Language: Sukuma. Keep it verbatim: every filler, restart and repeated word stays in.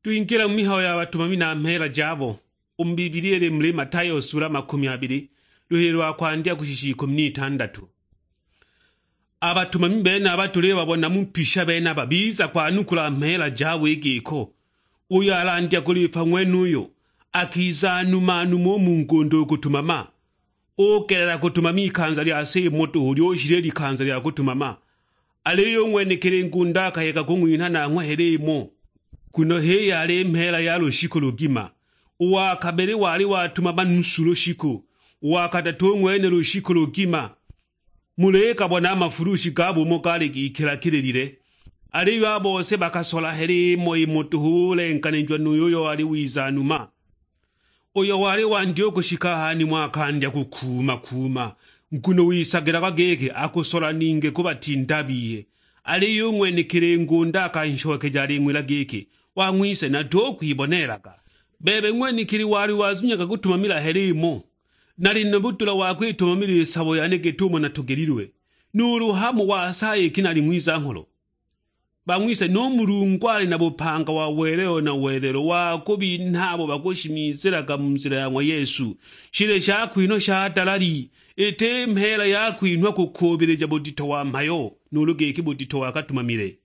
Twingila mu mihayo ya batumami na mheela jabo, u mu Bibilia ili muli Matayo sula makumi abili, luhili lwa kwandya kushisha ikumi n'itandatu. A batumami benaba tulibabona mu pisha benaba biza kwanukula mheela jabo i giko, uyo alandya kulipa ng'wenuyo, akiza numa numa u mu ngunda u kutumama. Ugelela kutumama ikanza lya se imo duhu lyushila i likanza lya kutumama, aliyo u ng'wenekili ngunda akayega kung'winha nanghwe hela imo, nguno h'iyo yali mheela ya lushiku lugima. U wa kabili wali watumama nusu lushiku, u wa kadatu u ng'wene lushiku lugima. Muligabona a mafulushi gabo umo gaali gikilakililile, aliyo a bose bakasola hela imo imo duhu bulenganijwa nu yuyo wali wiza numa. Uyo wali wandya u kushika ha nimo akandya kukuuma-kuuma, nguno wisagilagwa giki akusola ningi kubatinda a biye. Aliyo u ng'wenekili ngunda akanshokeja aling'wila giki, "Wang'wise, natukukwibonelaga. Bebe ng'wenekili wali wazunyaga kutumamila hela imo, nali na budula wa kwitumamila i sabo yane git'umo natogelilwe, nuulu hamo wasaya iki nali ng'wiza-ngholo?" Bang'wise, nu Mulungu ali na bupanga wa welelo na welelo wa kubinha abo bakushimizilaga mu nzila ya ng'wa Yesu. Shili shakwinhwa sha dalali, iti mheela ya kwinhwa kukuubilija budito wa mhayo, nuulu giki budito wa katumamile.